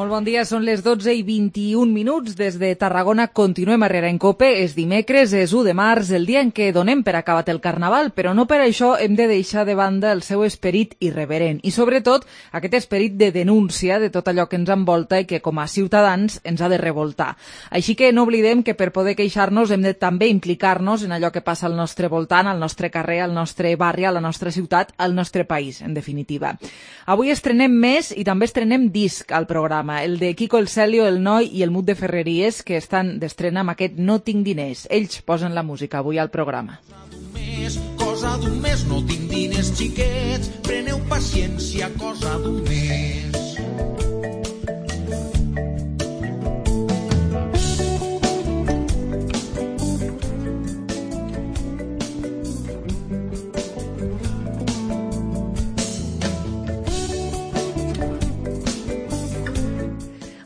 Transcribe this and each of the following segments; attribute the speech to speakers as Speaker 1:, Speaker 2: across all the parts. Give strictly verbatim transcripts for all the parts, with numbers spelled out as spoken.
Speaker 1: Molt bon dia, són les dotze i vint-i-un minuts. Des de Tarragona continuem a Herrera en Cope. És dimecres, és u de març, el dia en què donem per acabat el Carnaval, però no per això hem de deixar de banda el seu esperit irreverent i, sobretot, aquest esperit de denúncia de tot allò que ens envolta i que, com a ciutadans, ens ha de revoltar. Així que no oblidem que per poder queixar-nos hem de també implicar-nos en allò que passa al nostre voltant, al nostre carrer, al nostre barri, a la nostra ciutat, al nostre país, en definitiva. Avui estrenem més i també estrenem disc al programa, el de Quico el Celio, el Noi i el Mut de Ferreries, que estan d'estrena amb aquest No tinc diners. Ells posen la música avui al programa.
Speaker 2: Cosa d'un mes, no tinc diners, xiquets, preneu paciència, cosa d'un mes.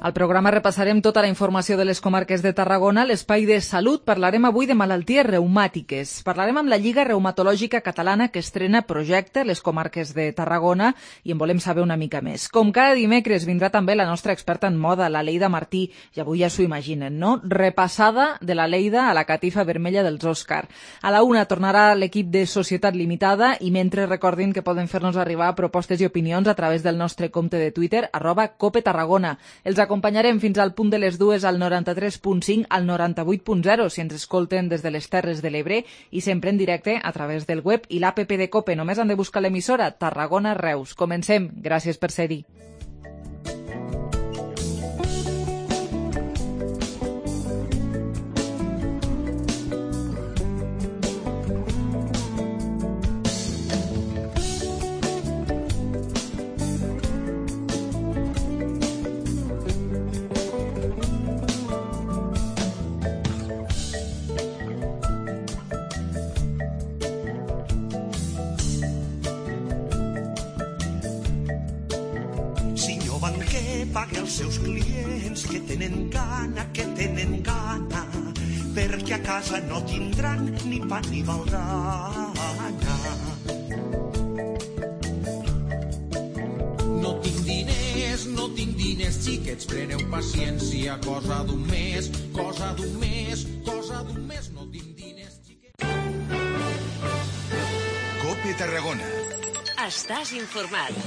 Speaker 1: Al programa repassarem tota la informació de les comarques de Tarragona. A l'espai de salut parlarem avui de malalties reumàtiques. Parlarem amb la Lliga Reumatològica Catalana, que estrena projecte a les comarques de Tarragona, i en volem saber una mica més. Com cada dimecres vindrà també la nostra experta en moda, la Leida Martí, i avui ja s'ho imaginen, no? Repassada de la Leida a la catifa vermella dels Òscar. A la una tornarà l'equip de Societat Limitada, i mentre recordin que poden fer-nos arribar propostes i opinions a través del nostre compte de Twitter, arroba Cope Tarragona. Els acompanyarem fins al punt de les dues al noranta-tres punt cinc, al noranta-vuit punt zero, si ens escolten des de les Terres de l'Ebre, i sempre en directe a través del web i l'app de Cope. Només han de buscar l'emissora Tarragona Reus. Comencem. Gràcies per ser-hi.
Speaker 2: Pague als seus clients que tenen gana, que tenen gana, perquè a casa no tindran ni pa ni baldana. No tinc diners, no tinc diners, xiquets, preneu paciència, cosa d'un mes, cosa d'un mes, cosa d'un mes, no tinc diners, xiquets.
Speaker 3: Cope Tarragona.
Speaker 4: Estàs informat.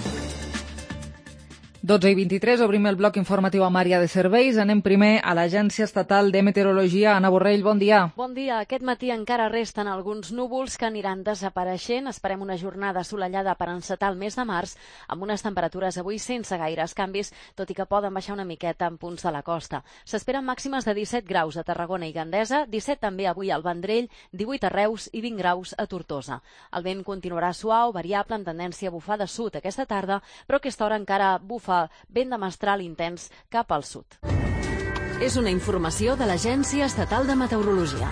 Speaker 1: dotze i vint-i-tres, obrim el bloc informatiu amb àrea de serveis. Anem primer a l'Agència Estatal de Meteorologia. Anna Borrell, bon dia.
Speaker 5: Bon dia. Aquest matí encara resten alguns núvols que aniran desapareixent. Esperem una jornada assolellada per encetar el mes de març, amb unes temperatures avui sense gaires canvis, tot i que poden baixar una miqueta en punts de la costa. S'esperen màximes de disset graus a Tarragona i Gandesa, disset també avui al Vendrell, divuit a Reus i vint graus a Tortosa. El vent continuarà suau, variable, en tendència a bufar de sud aquesta tarda, però a aquesta hora encara bufa vent de mestral intens cap al sud.
Speaker 4: És una informació de l'Agència Estatal de Meteorologia.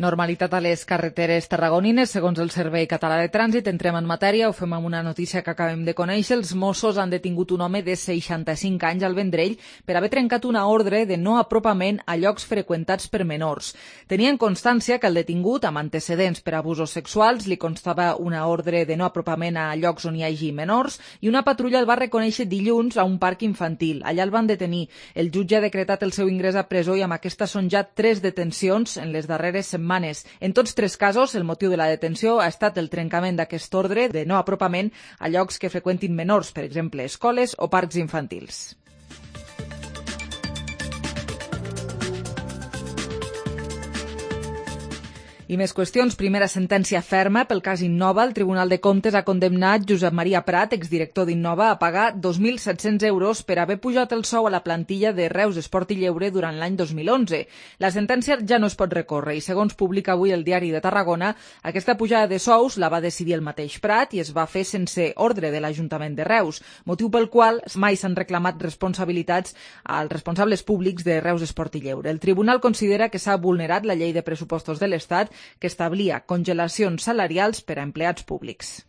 Speaker 1: Normalitat a les carreteres tarragonines, segons el Servei Català de Trànsit. Entrem en matèria, ho fem amb una notícia que acabem de conèixer. Els Mossos han detingut un home de seixanta-cinc anys al Vendrell per haver trencat una ordre de no apropament a llocs freqüentats per menors. Tenien constància que el detingut, amb antecedents per abusos sexuals, li constava una ordre de no apropament a llocs on hi hagi menors, i una patrulla el va reconèixer dilluns a un parc infantil. Allà el van detenir. El jutge ha decretat el seu ingrés a presó i amb aquesta són ja tres detencions en les darreres setmanes. En tots tres casos, el motiu de la detenció ha estat el trencament d'aquest ordre de no apropament a llocs que freqüentin menors, per exemple, escoles o parcs infantils. I més qüestions. Primera sentència ferma pel cas Innova. El Tribunal de Comptes ha condemnat Josep Maria Prat, exdirector d'Innova, a pagar dos mil set-cents euros per haver pujat el sou a la plantilla de Reus Esport i Lleure durant l'any dos mil onze. La sentència ja no es pot recórrer i, segons publica avui el Diari de Tarragona, aquesta pujada de sous la va decidir el mateix Prat i es va fer sense ordre de l'Ajuntament de Reus, motiu pel qual mai s'han reclamat responsabilitats als responsables públics de Reus Esport i Lleure. El Tribunal considera que s'ha vulnerat la llei de pressupostos de l'Estat, que establia congelacions salarials per a empleats públics.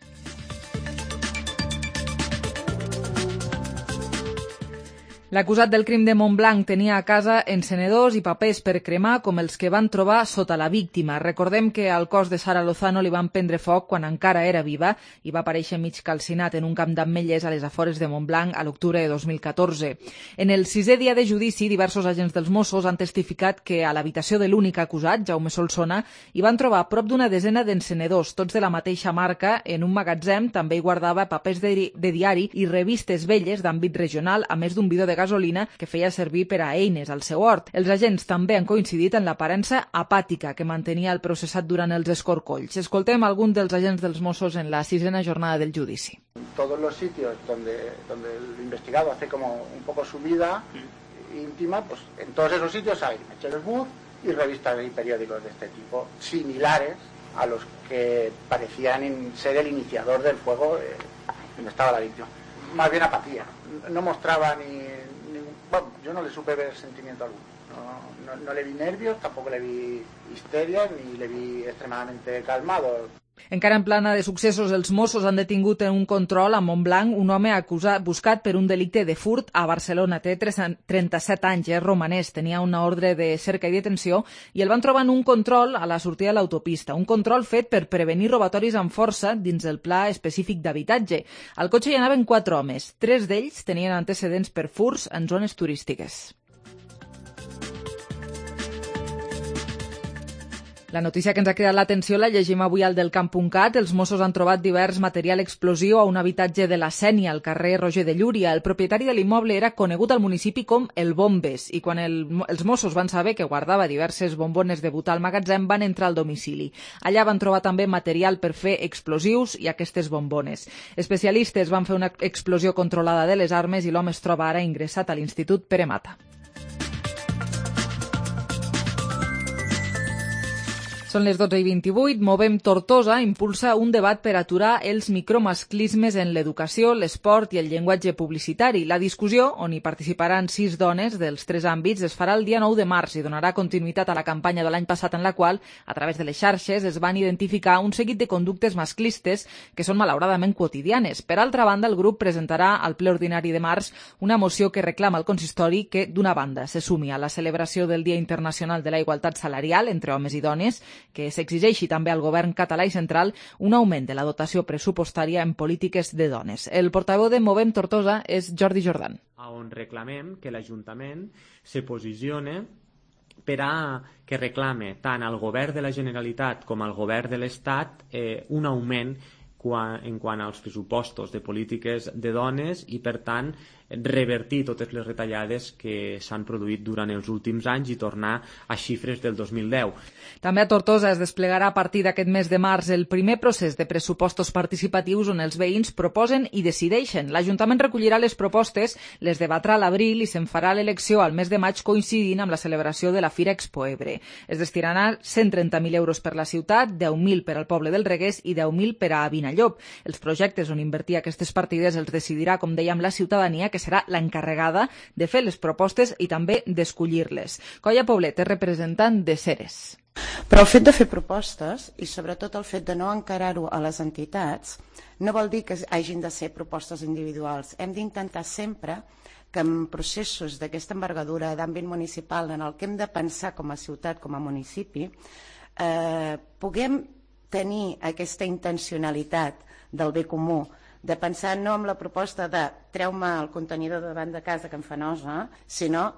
Speaker 1: L'acusat del crim de Montblanc tenia a casa encenedors i papers per cremar com els que van trobar sota la víctima. Recordem que al cos de Sara Lozano li van prendre foc quan encara era viva i va aparèixer mig calcinat en un camp d'ametllers a les afores de Montblanc a l'octubre de dos mil catorze. En el sisè dia de judici, diversos agents dels Mossos han testificat que a l'habitació de l'únic acusat, Jaume Solsona, hi van trobar prop d'una desena d'encenedors, tots de la mateixa marca. En un magatzem també hi guardava papers de, de diari i revistes velles d'àmbit regional, a més d'un bidó de gasolina que feia servir per a eines al seu hort. Els agents també han coincidit en l'aparença apàtica que mantenia el processat durant els escorcolls. Escoltem algun dels agents dels Mossos en la sisena jornada del judici.
Speaker 3: Todos los sitios donde, donde el investigado hace como un poco su vida íntima, pues en todos esos sitios hay mecheros bus y revistas y periódicos de este tipo, similares a los que parecían ser el iniciador del fuego eh, donde estaba la víctima. Más bien apatía. No mostraba ni, ni... Bueno, yo no le supe ver sentimiento alguno. No, no, no le vi nervios, tampoco le vi histeria, ni le vi extremadamente calmado.
Speaker 1: Encara en plana de successos, els Mossos han detingut en un control a Montblanc un home acusat, buscat per un delicte de furt a Barcelona. Té trenta-set anys, és romanès, tenia una ordre de cerca i detenció i el van trobar en un control a la sortida de l'autopista. Un control fet per prevenir robatoris amb força dins el pla específic d'habitatge. Al cotxe hi anaven quatre homes. Tres d'ells tenien antecedents per furts en zones turístiques. La notícia que ens ha cridat l'atenció la llegim avui al delcamp punt cat. Els Mossos han trobat divers material explosiu a un habitatge de la Sénia, al carrer Roger de Llúria. El propietari de l'immoble era conegut al municipi com el Bombes i quan el, els Mossos van saber que guardava diverses bombones de butà al magatzem van entrar al domicili. Allà van trobar també material per fer explosius i aquestes bombones. Especialistes van fer una explosió controlada de les armes i l'home es troba ara ingressat a l'Institut Pere Mata. Són les dotze i vint-i-vuit. Movem Tortosa impulsa un debat per aturar els micromasclismes en l'educació, l'esport i el llenguatge publicitari. La discussió, on hi participaran sis dones dels tres àmbits, es farà el dia nou de març i donarà continuïtat a la campanya de l'any passat en la qual, a través de les xarxes, es van identificar un seguit de conductes masclistes que són malauradament quotidianes. Per altra banda, el grup presentarà al ple ordinari de març una moció que reclama al consistori que, d'una banda, se sumi a la celebració del Dia Internacional de la Igualtat Salarial entre homes i dones, que s'exigeixi també al govern català i central un augment de la dotació pressupostària en polítiques de dones. El portaveu de Movem Tortosa és Jordi Jordan.
Speaker 6: On reclamem que l'Ajuntament se posicione per a que reclame tant al govern de la Generalitat com al govern de l'Estat eh, un augment quan, en quant als pressupostos de polítiques de dones i, per tant, revertir totes les retallades que s'han produït durant els últims anys i tornar a xifres del dos mil deu.
Speaker 1: També a Tortosa es desplegarà a partir d'aquest mes de març el primer procés de pressupostos participatius on els veïns proposen i decideixen. L'Ajuntament recollirà les propostes, les debatrà a l'abril i se'n farà l'elecció al mes de maig coincidint amb la celebració de la Fira Expo Ebre. Es destinaran cent trenta mil euros per la ciutat, deu mil per al poble del Reguers i deu mil per a Vinallop. Els projectes on invertir aquestes partides els decidirà, com dèiem, la ciutadania, que serà l'encarregada de fer les propostes i també d'escollir-les. Colla Poblet és representant de Ceres.
Speaker 7: Però el fet de fer propostes i sobretot el fet de no encarar-ho a les entitats no vol dir que hagin de ser propostes individuals. Hem d'intentar sempre que en processos d'aquesta envergadura d'àmbit municipal en el que hem de pensar com a ciutat, com a municipi, eh, puguem tenir aquesta intencionalitat del bé comú, de pensar no amb la proposta de treu-me el contenidor davant de casa que em fa nosa, sinó,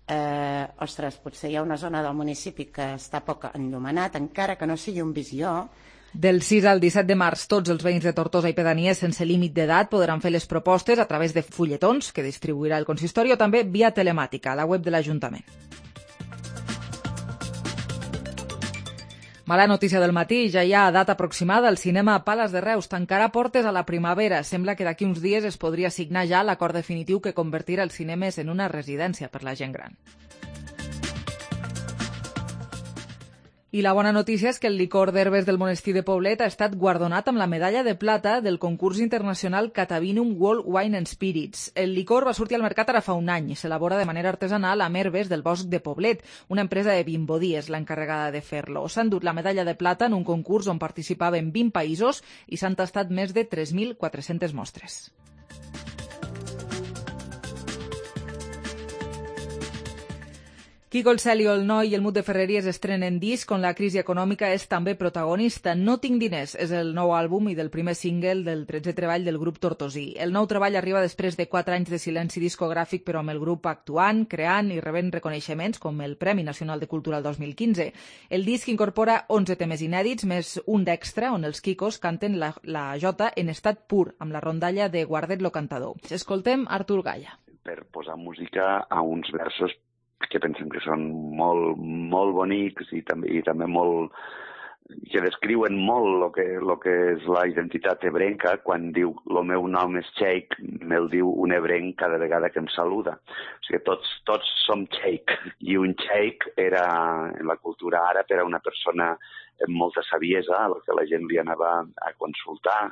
Speaker 7: eh, ostres, potser hi ha una zona del municipi que està poc enllumenat, encara que no sigui un visió.
Speaker 1: Del sis al disset de març, tots els veïns de Tortosa i Pedanies sense límit d'edat podran fer les propostes a través de fulletons que distribuirà el consistori o també via telemàtica a la web de l'Ajuntament. Mala notícia del matí, ja hi ha data aproximada. El cinema Pales de Reus tancarà portes a la primavera. Sembla que d'aquí uns dies es podria signar ja l'acord definitiu que convertirà els cinemes en una residència per la gent gran. I la bona notícia és que el licor d'herbes del monestir de Poblet ha estat guardonat amb la medalla de plata del concurs internacional Catavinum World Wine and Spirits. El licor va sortir al mercat ara fa un any i s'elabora de manera artesanal amb herbes del bosc de Poblet. Una empresa de Vimbodí és l'encarregada de fer-lo. S'han dut la medalla de plata en un concurs on participaven vint països i s'han tastat més de tres mil quatre-centes mostres. Quico el Cel i el Noi i el Mut de Ferreries estrenen disc on la crisi econòmica és també protagonista. No tinc diners és el nou àlbum i del primer single del tretzè treball del grup Tortosí. El nou treball arriba després de quatre anys de silenci discogràfic, però amb el grup actuant, creant i rebent reconeixements com el Premi Nacional de Cultura el dos mil quinze. El disc incorpora onze temes inèdits, més un d'extra on els Quicos canten la, la jota en estat pur, amb la rondalla de Guardet lo cantador. Escoltem Artur Galla.
Speaker 8: Per posar música a uns versos que pensem que són molt, molt bonics i també, i també molt, que descriuen molt el que, lo que és la identitat ebrenca. Quan diu el meu nom és Sheikh, me'l diu un ebrenc cada vegada que em saluda. O sigui, tots, tots som Sheikh, i un Sheikh era, en la cultura àrab, era una persona amb molta saviesa, a la que la gent li anava a consultar.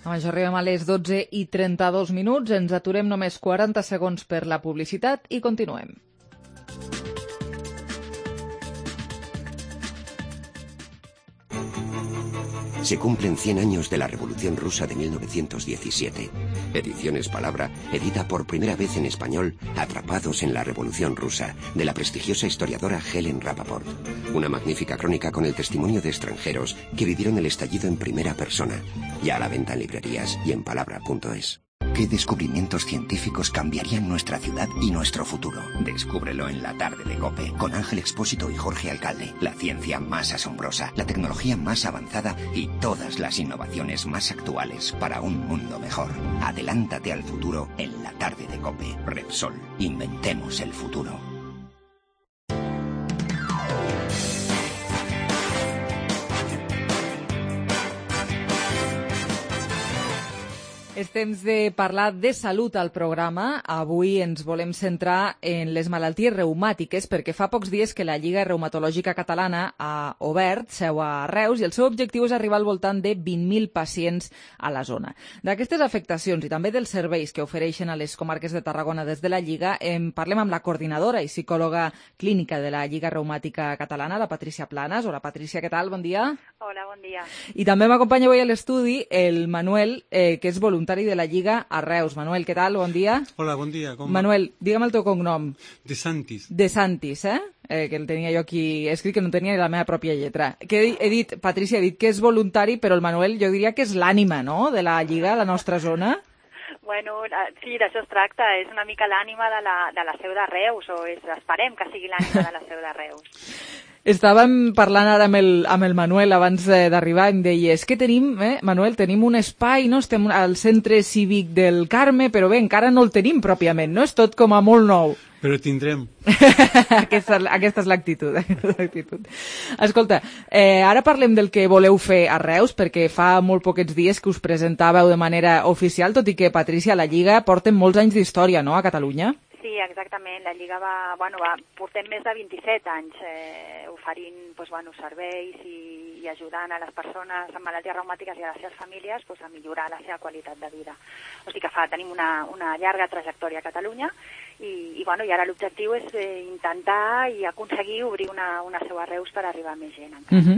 Speaker 1: Amb això arribem a les dotze i trenta-dos minuts, ens aturem només quaranta segons per la publicitat i continuem.
Speaker 9: Se cumplen cien años de la Revolución Rusa de mil novecientos diecisiete. Ediciones Palabra edita por primera vez en español Atrapados en la Revolución Rusa, de la prestigiosa historiadora Helen Rappaport. Una magnífica crónica con el testimonio de extranjeros que vivieron el estallido en primera persona. Ya a la venta en librerías y en palabra punto es. ¿Qué descubrimientos científicos cambiarían nuestra ciudad y nuestro futuro? Descúbrelo en la tarde de COPE, con Ángel Expósito y Jorge Alcalde. La ciencia más asombrosa, la tecnología más avanzada y todas las innovaciones más actuales para un mundo mejor. Adelántate al futuro en la tarde de COPE. Repsol, inventemos el futuro.
Speaker 1: És temps de parlar de salut al programa. Avui ens volem centrar en les malalties reumàtiques perquè fa pocs dies que la Lliga Reumatològica Catalana ha obert seu a Reus i el seu objectiu és arribar al voltant de vint mil pacients a la zona. D'aquestes afectacions i també dels serveis que ofereixen a les comarques de Tarragona des de la Lliga, en parlem amb la coordinadora i psicòloga clínica de la Lliga Reumàtica Catalana, la Patricia Planas. Hola, Patricia, què tal? Bon dia.
Speaker 10: Hola, bon dia.
Speaker 1: I també m'acompanya avui a l'estudi el Manuel, eh, que és voluntari de la Lliga a Reus. Manuel, què tal? Bon dia.
Speaker 11: Hola, bon dia. Com...
Speaker 1: Manuel, digue'm el teu cognom.
Speaker 11: De Santis.
Speaker 1: De Santis, eh? eh? Que el tenia jo aquí escrit, que no tenia ni la meva pròpia lletra. Que he, he dit, Patricia ha dit que és voluntari, però el Manuel jo diria que és l'ànima, no?, de la Lliga, la nostra zona.
Speaker 10: Bueno, sí, d'això es tracta. És una mica l'ànima de la, de la seu de Reus, o és, esperem que sigui l'ànima de la seu de Reus.
Speaker 1: Estàvem parlant ara amb el, amb el Manuel abans d'arribar i em deia, és que tenim, eh, Manuel, tenim un espai, no? Estem al centre cívic del Carme, però bé, encara no el tenim pròpiament, no? És tot com a molt nou.
Speaker 11: Però tindrem.
Speaker 1: aquesta, aquesta és l'actitud. Escolta, eh, ara parlem del que voleu fer a Reus, perquè fa molt poquets dies que us presentàveu de manera oficial, tot i que, Patricia, la Lliga porten molts anys d'història, no?, a Catalunya?
Speaker 10: Sí, exactament. La Lliga va, bueno, va, portem més de vint-i-set anys eh, oferint pues, bueno, serveis i, i ajudant a les persones amb malalties reumàtiques i a les seves famílies pues, a millorar la seva qualitat de vida. O sigui que fa, tenim una, una llarga trajectòria a Catalunya i, i, bueno, i ara l'objectiu és eh, intentar i aconseguir obrir una, una seu a Reus per arribar a més gent encara. Uh-huh.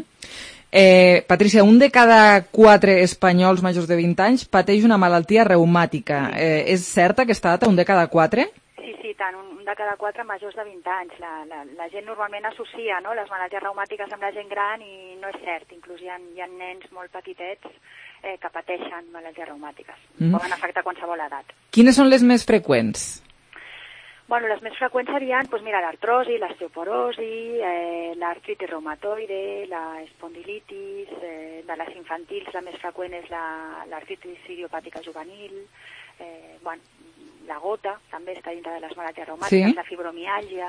Speaker 1: Eh, Patricia, un de cada quatre espanyols majors de vint anys pateix una malaltia reumàtica. Eh, és certa aquesta data, un de cada quatre?
Speaker 10: Sí, sí, tant, un de cada quatre majors de vint anys. La, la, la gent normalment associa, no?, les malalties reumàtiques amb la gent gran i no és cert. Inclús hi ha, hi ha nens molt petitets eh, que pateixen malalties reumàtiques. Mm. Poden afectar qualsevol edat.
Speaker 1: Quines són les més freqüents?
Speaker 10: Bueno, les més freqüents serien, doncs mira, l'artrosi, l'osteoporosi, eh, l'artritis reumatoide, la espondilitis, eh, de les infantils la més freqüent és la, l'artritis idiopàtica juvenil, eh, bueno, la gota també està dintre de les malalties reumàtiques, sí. La fibromiàlgia,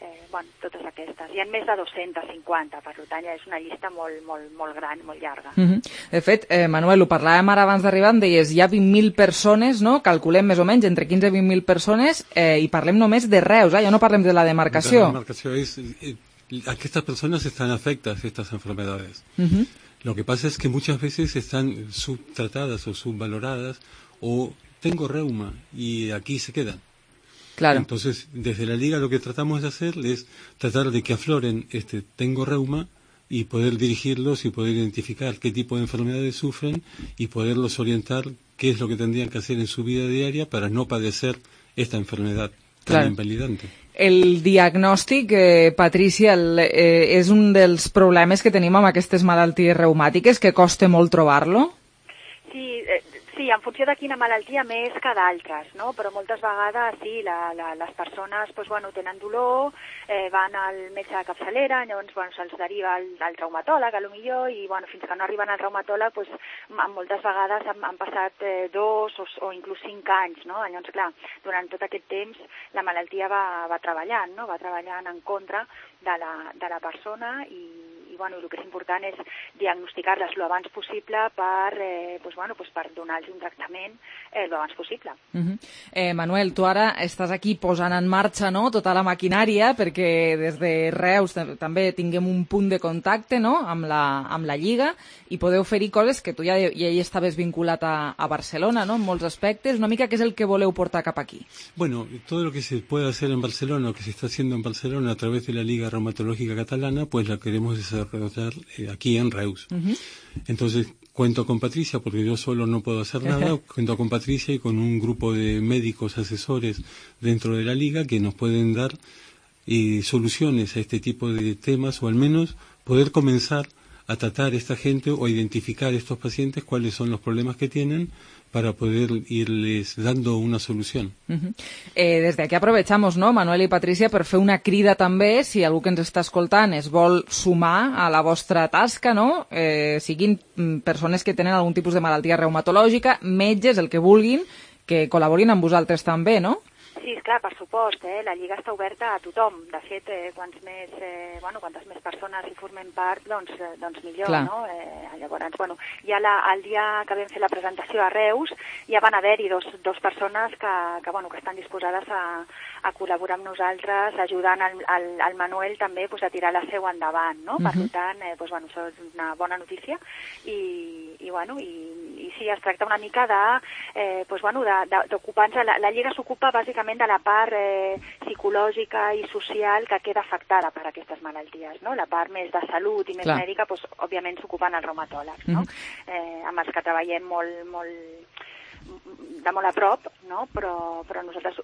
Speaker 10: eh, bueno, totes aquestes. Hi ha més de dos-centes cinquanta, per tant ja és una llista molt, molt, molt gran, molt llarga.
Speaker 1: Uh-huh. De fet, eh, Manuel, ho parlàvem ara abans d'arribar, em deies, hi ha vint mil persones, no?, calculem més o menys entre quinze i vint mil persones, eh, i parlem només de Reus, eh? Ja no parlem de la demarcació.
Speaker 11: La demarcació és... Eh, estas personas están afectadas a estas enfermedades. Uh-huh. Lo que pasa es que muchas veces están subtratadas o subvaloradas o tengo reuma y aquí se quedan.
Speaker 1: Claro.
Speaker 11: Entonces, desde la Liga lo que tratamos de hacer es tratar de que afloren este tengo reuma y poder dirigirlos y poder identificar qué tipo de enfermedades sufren y poderlos orientar qué es lo que tendrían que hacer en su vida diaria para no padecer esta enfermedad tan
Speaker 1: Claro.
Speaker 11: invalidante.
Speaker 1: El diagnòstic, eh, Patrícia, el, eh, és un dels problemes que tenim amb aquestes malalties reumàtiques, que costa molt trobar-lo?
Speaker 10: Sí, eh, sí, en funció de quina malaltia més que d'altres, no? Però moltes vegades sí, la, la, les persones pues, bueno, tenen dolor, eh, van al metge de capçalera, llavors bueno, se'ls deriva al, al traumatòleg, a lo millor, i bueno, fins que no arriben al traumatòleg, pues, moltes vegades han, han passat eh, dos o, o inclús cinc anys, no? Llavors, clar, durant tot aquest temps la malaltia va, va treballant, no? Va treballant en contra de la, de la persona i i bueno, el que és important és diagnosticar-les lo abans possible per, eh, pues, bueno, pues per donar-los un tractament eh, lo abans possible.
Speaker 1: Uh -huh. eh, Manuel, tu ara estàs aquí posant en marxa, no?, tota la maquinària perquè des de Reus també tinguem un punt de contacte, no?, amb la, amb la Lliga, i podeu oferir coses que tu ja, ja hi estaves vinculat a, a Barcelona, no?, en molts aspectes. Una mica què és el que voleu portar cap aquí?
Speaker 11: Bueno, todo lo que se puede hacer en Barcelona, o que se está haciendo en Barcelona a través de la Liga Reumatológica Catalana, pues la queremos desarrollar aquí en Reus. Uh-huh. Entonces cuento con Patricia, porque yo solo no puedo hacer nada. Cuento con Patricia y con un grupo de médicos asesores dentro de la Liga que nos pueden dar eh, soluciones a este tipo de temas, o al menos poder comenzar a tratar a esta gente o a identificar a estos pacientes cuáles son los problemas que tienen, para poder irles dando una solución.
Speaker 1: Uh-huh. eh, des d'aquí aprovechamos, no, Manuel i Patricia, per fer una crida també, si algú que ens està escoltant es vol sumar a la vostra tasca, no? Eh, siguin persones que tenen algun tipus de malaltia reumatològica, metges, el que vulguin, que col·laborin amb vosaltres també, no?
Speaker 10: Sí, esclar, per supost, eh? La Lliga està oberta a tothom. De fet, eh, quants més, eh, bueno, quantes més persones hi formen part, doncs, eh, doncs millor,
Speaker 1: Clar.
Speaker 10: no? Eh, llavors, bueno, ja la, el dia que vam fer la presentació a Reus ja van haver-hi dos, dos persones que, que, bueno, que estan disposades a, a col·laborar amb nosaltres, ajudant al, al, al Manuel també pues, a tirar la seu endavant, no? Uh-huh. Per tant, eh, pues, bueno, això és una bona notícia i, i, bueno, i, i sí, es tracta una mica de, eh, pues, bueno, d'ocupar-nos, la, la Lliga s'ocupa bàsicament de la part eh, psicològica i social que queda afectada per aquestes malalties, no? La part més de salut i més
Speaker 1: Clar.
Speaker 10: mèdica, pues, òbviament s'ocupen els reumatòlegs, no? Mm-hmm. eh, amb els que treballem molt, molt, de molt a prop, no? Però, però nosaltres,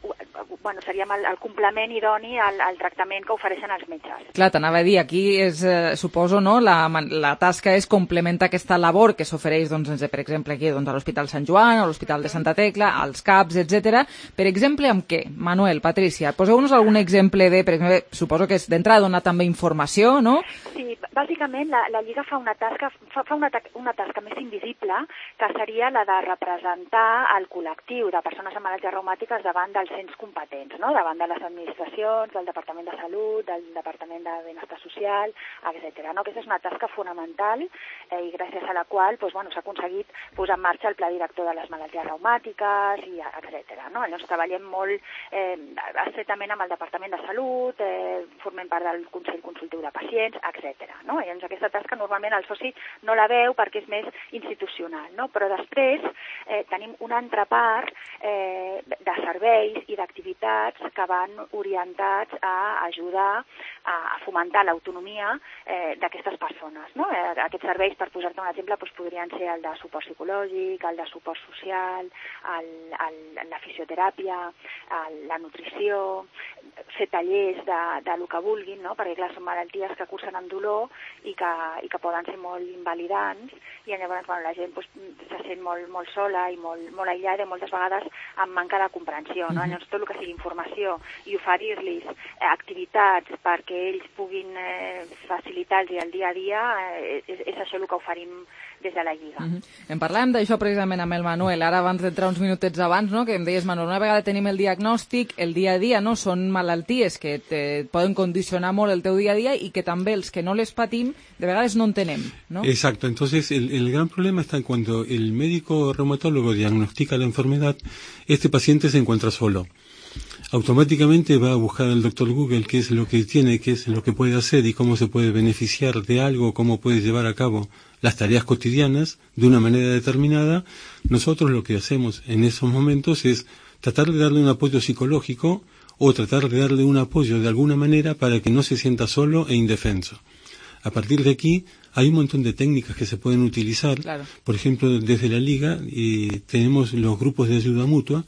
Speaker 10: bueno, seríem el, el complement idoni al, al tractament que ofereixen els metges.
Speaker 1: Clar, t'anava a dir, aquí és, eh, suposo, no, la, la tasca és complementar aquesta labor que s'ofereix, doncs, per exemple, aquí, doncs, a l'Hospital Sant Joan, a l'Hospital de Santa Tecla, als C A Ps, etcètera. Per exemple, amb què? Manuel, Patricia, poseu-nos algun exemple de, per exemple, suposo que és d'entrada donar també informació, no?
Speaker 10: Sí, bàsicament la, la Lliga fa una tasca, fa, fa una, una tasca més invisible, que seria la de representar el col·lectiu de persones amb malalties reumàtiques davant dels ens competents, no? Davant de les administracions, del Departament de Salut, del Departament de Benestar Social, etcètera. No? Aquesta és una tasca fonamental eh, i gràcies a la qual doncs, bueno, s'ha aconseguit posar en marxa el Pla Director de les Malalties Reumàtiques, i etcètera. No? Llavors treballem molt eh, estretament amb el Departament de Salut, eh, formem part del Consell Consultiu de Pacients, etcètera. No? Llavors aquesta tasca normalment el soci no la veu perquè és més institucional, no? Però després eh, tenim una altra part eh, de serveis i d'activitats que van orientats a ajudar a, a fomentar l'autonomia eh, d'aquestes persones. No? Eh, aquests serveis, per posar-te un exemple, doncs podrien ser el de suport psicològic, el de suport social, el, el, la fisioteràpia, el, la nutrició, fer tallers de, de lo que vulguin, no? Perquè clar, són malalties que cursen amb dolor i que, i que poden ser molt invalidants i llavors bueno, la gent doncs, se sent molt, molt sola i molt, molt aïllada i moltes vegades amb manca de comprensió. No? Llavors tot el que sigui informació i oferir-los eh, activitats perquè ells puguin eh, facilitar-los el dia a dia eh, és, és això el que oferim des de la Lliga.
Speaker 1: Uh-huh. En parlàvem d'això precisament amb el Manuel, ara abans d'entrar uns minutets abans, no? Que em deies, Manuel, una vegada tenim el diagnòstic, el dia a dia, no? Són malalties que te poden condicionar molt el teu dia a dia i que també els que no les patim de vegades no entenem, ¿no?
Speaker 11: Exacto, entonces el, el gran problema está en cuando el médico reumatólogo diagnostica la enfermedad, este paciente se encuentra solo. Automáticamente va a buscar al doctor Google qué es lo que tiene, qué es lo que puede hacer y cómo se puede beneficiar de algo, cómo puede llevar a cabo las tareas cotidianas de una manera determinada. Nosotros lo que hacemos en esos momentos es tratar de darle un apoyo psicológico o tratar de darle un apoyo de alguna manera para que no se sienta solo e indefenso. A partir de aquí hay un montón de técnicas que se pueden utilizar.
Speaker 1: Claro.
Speaker 11: Por ejemplo, desde la Liga y tenemos los grupos de ayuda mutua